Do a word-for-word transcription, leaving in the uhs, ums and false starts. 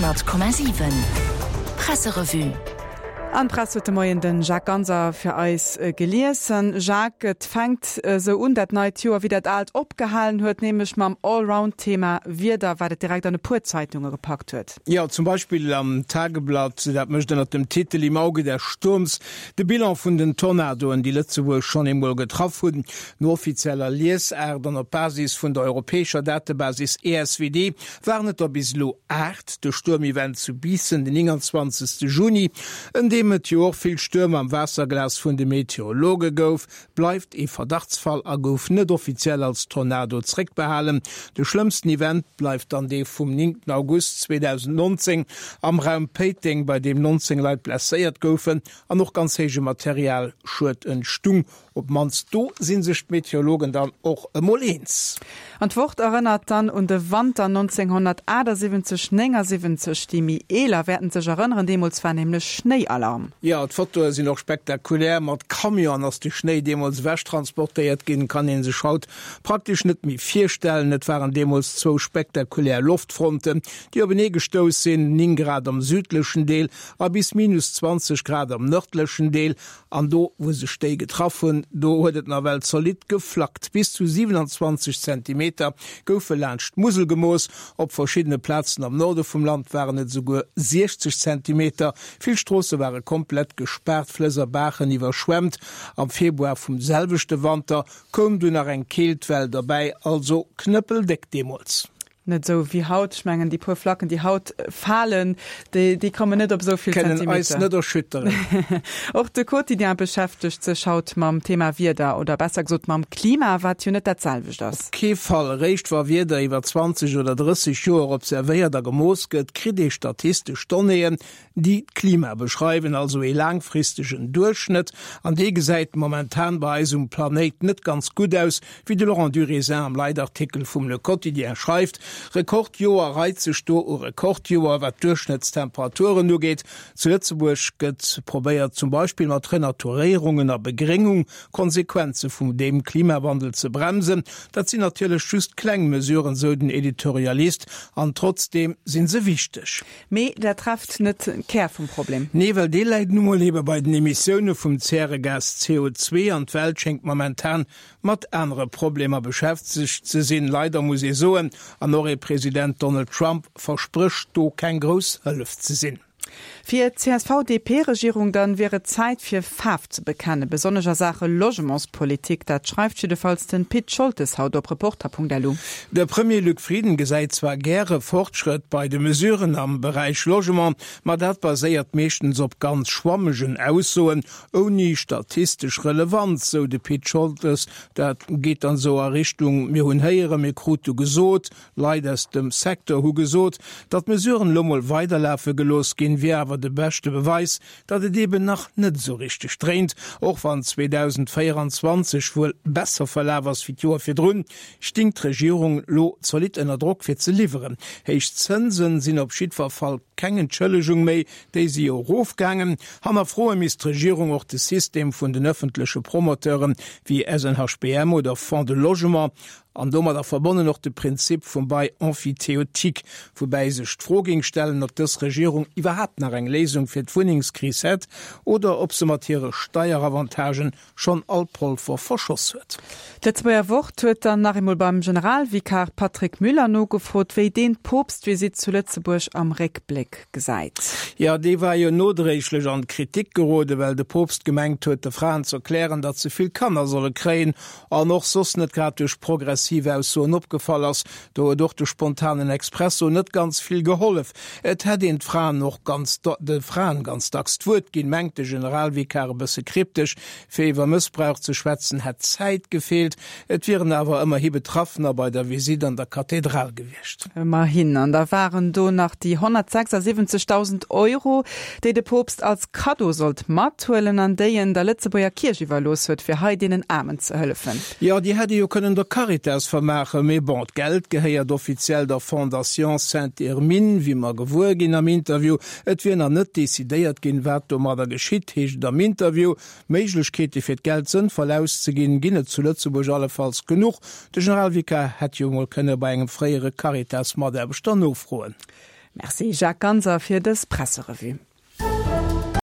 honnert Komma siwen Presserevue. An d'Press huet de Moien den Jacques Ganser fir eis gelies. Jacques, et fänkt esou un dat neit Joer wéi dat aalt opgehalen huet, nämlech mam Allround-Thema Wieder, wat et direkt an e puer Zeitunge gepackt huet. Jo, zum Beispill am Tageblatt, dat mécht ënnert dem Titel Im Auge des Sturms de Bilan vun den Tornadoen, déi Lëtzebuerg schonn eemol getraff hunn. No offizieller Liesaart an op Basis vun der europäescher Datebasis E S W D waren et der bis elo aacht. De Stuermevent zu Biissen den nénganzwanzegste Juni, en deem et jo och vill Stürm am Waasserglas vun de Meteorologe gouf, bleift ee Verdachtsfall a gouf net offiziell als Tornado zréckbehalen. De schlëmmsten Event bleift dann dee vum néngten August zweedausendnonzéng am Raum Péiteng, bei deem nonzéng Leit blesséiert goufen an och ganz héije Materialschued entstung. Op d'mannst do si sech d'Meteorologen dann och emol eens. An d'Wort erënnert dann un de Wanter nonzénghonnertaachtsiwwenzeg, néngasiwwenzeg. Déi méi eeler wäerten sech erënneren, deemools war nämlech Schnéialarm. Jo, d'Fotoe sinn och spektakulär. Mat Camionen ass de Schnéi deemools ewech transportéiert ginn, kann ee sech haut praktesch net méi virstellen. Et waren deemools zwou spektakulär Loftfronten, déi openee gestouss sinn, néng Grad am südlechen Deel a bis minus zwanzeg Grad am nërdlechen Deel. An do, wou sech déi getraff hunn, do huet et nawell zolidd geflackt. Bis zu siwenanzwanzeg Zentimeter goufe laanscht d'Musel gemooss. Op verschiddene Plazen am Norde vum Land waren et esouguer siechzeg Zentimeter. Vill Stroosse ware komplett gespaart, Flëss a Baachen iwwerschwemmt. Am Februar vum selwechte Wanter koum dunn nach eng Keeltwell derbäi, also knëppeldéck deemools. Net esou wéi haut. Ech mengen, déi puer Flacken, déi haut falen, déi, déi kommen net op esou vill Kënnen eis Zentimeter. net erschütteren. Och de Quotidien beschäftegt sech haut mam Thema Wieder, oder besser gesot mam Klima, wat jo net dat selwecht ass. Op kee Fall. Eréischt wa Wieder iwwer zwanzeg oder drësseg Joer observéiert a gemooss gëtt, kritt ee statistesch Donnéeën, déi d'Klima beschreiwen, also ee laangfristegen Duerchschnëtt. An dee gesäit momentan bei eis um Planéit net ganz gutt aus, wéi de Laurent Durézin am Leitartikel vum Le Quotidien schreift. Rekordjoer reit sech do u Rekordjoer, wat d'Duerchschnëttstemperaturen ugeet. Zu Lëtzebuerg gëtt probéiert, zum Beispill mat Renaturéierungen a Begréngung Konsequenze vum deem Klimawandel ze bremsen. Dat sinn natierlech just kleng Mesuren, sou den Editorialist, an trotzdeem si se wichteg. Mee dat trefft net de Kär vum Problem. Nee, well dee läit nu mol ebe bei den Emissioune vum Zäregas C O zwee an d'Welt schéngt momentan mat anere Problemer beschäftegt ze sinn. Leider, muss ee soen. An och ee President Donald Trump versprécht do keng grouss Hëllef ze sinn. Fir d'C S V D P-Regierung dann wier et Zäit fir Faarf ze bekennen, besonnesch a Saache Logementspolitik. Dat schreift jiddefalls den Pit Scholtes haut op Reporter Punkt L U. De Premier Luc Frieden gesäit zwar gäre Fortschrëtt bei de Mesuren am Beräich Logement, ma dat baséiert meeschtens op ganz schwammegen Aussoen, ouni statistesch Relevanz, sou de Pit Scholtes. Dat geet dann sou a Richtung, mir hunn héieren, mir krute gesot, Leit aus dem Secteur hu gesot. Datt d'Mesuren elo mol weiderlafe gelooss ginn, wier awer de beschte Beweis, datt et eben nach net esou richteg dréint. Och wann zweedausendvéieranzwanzeg wuel besser verlaf ass wéi d'Joer virdrun, sting d'Regierung lo zolidd ënner Drock fir ze liwweren. Héich Zënsen sinn op jiddwer Fall keng Entschëllegung méi, déi si jo erofgaangen. Hannerfroe misst d'Regierung och de System vun den ëffentleche Promoteuren wéi S N H B M oder Fonds de Logement an domadder verbonnen och de Prinzip vum Bail emphytéotique, woubäi sech d'Fro géing stellen, ob dës Regierung iwwerhaapt nach eng Léisung fir d'Wunnengskris hätt oder ob se mat hire Steieravantagen schonn all Polver verschoss huet. D'Lëtzebuerger Wort huet dann nach eemol beim Generalvikar Patrick Müller nogefrot, wéi deen d'Poopstvisitt zu Lëtzebuerg am Réckbléck gesäit. Jo, déi war jo nodréiglech an d'Kritik geroden, well de Poopst gemengt huet, de Fraen z'erklären, datt se vill Kanner solle kréien an och soss net grad duerch progressiv Aussoen opgefall ass. Do huet och de spontanen Expresso net ganz vill gehollef. Et hätt een d'Fraen och ganz de Fraen ganz dacks d'Wuert ginn, mengt de Generalvikar e bësse kryptesch. Fir iwwer Mëssbrauch ze schwätzen hätt d'Zäit gefeelt. Et wieren awer ëmmerhi Betraffener bei der Visitt an der Kathedral gewiescht. Ëmmerhin. An da waren do nach déi honnertsechsasiwwenzegdausend Euro, déi de Poopst als Kaddo sollt mathuelen an déi en der Lëtzebuerger Kierch iwwerlooss huet, fir hei deenen Aarmen ze hëllefen. Jo, déi hätt ee jo kënnen der Caritas vermaachen, mee bon, d'Geld gehéiert offiziell der Fondation Sainte-Hermine, wéi mer gewuer ginn am Interview. Et wier nach net decidéiert ginn, wat domadder geschitt, heescht et am Interview. Méiglechkeete fir d'Geld sënnvoll auszeginn, ginn et zu Lëtzebuerg allefalls genuch. De Generalvikar hätt jo mol kënne bei engem fréiere Caritas-Mataarbechter nofroen. Merci Jacques Ganser fir dës Presserevue.